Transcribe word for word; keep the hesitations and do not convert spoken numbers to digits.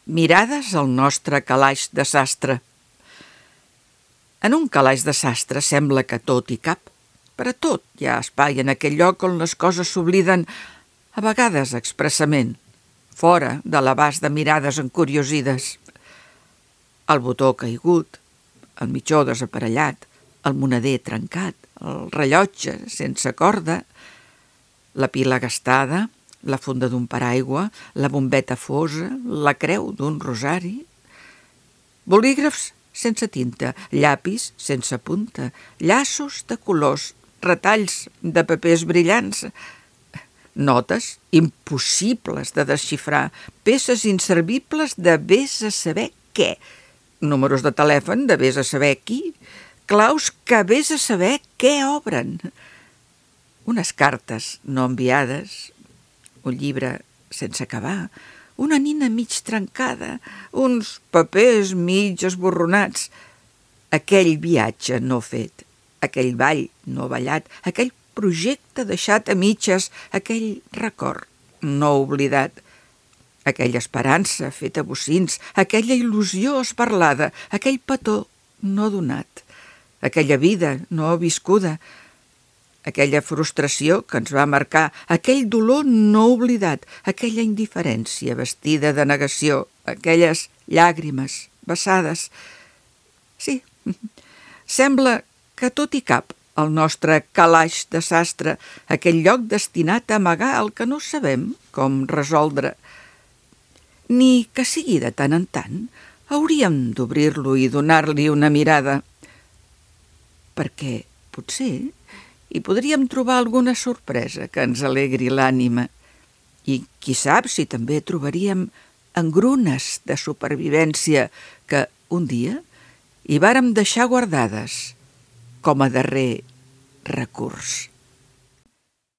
Mirades al nostre calaix de sastre. En un calaix de sastre sembla que tot hi cap. Per a tot hi ha espai en aquell lloc on les coses s'obliden, a vegades expressament, fora de l'abast de mirades encuriosides. El botó caigut, el mitjó desaparellat, el moneder trencat, el rellotge sense corda, la pila gastada, la funda d'un paraigua, la bombeta fosa, la creu d'un rosari, bolígrafs sense tinta, llapis sense punta, llaços de colors, retalls de papers brillants, notes impossibles de desxifrar, peces inservibles de vés a saber què, números de telèfon de vés a saber qui, claus que vés a saber què obren, unes cartes no enviades, un llibre sense acabar, una nina mig trencada, uns papers mig esborronats, aquell viatge no fet, aquell ball no ballat, aquell projecte deixat a mitges, aquell record no oblidat, aquella esperança feta bocins, aquella il·lusió esparlada, aquell petó no donat, aquella vida no viscuda, aquella frustració que ens va marcar, aquell dolor no oblidat, aquella indiferència vestida de negació, aquelles llàgrimes vessades. Sí, sembla que tot hi cap al nostre calaix de sastre, aquell lloc destinat a amagar el que no sabem com resoldre. Ni que sigui de tant en tant, hauríem d'obrir-lo i donar-li una mirada, perquè potser hi podríem trobar alguna sorpresa que ens alegri l'ànima. I qui sap si també trobaríem engrunes de supervivència que un dia hi vàrem deixar guardades com a darrer recurs.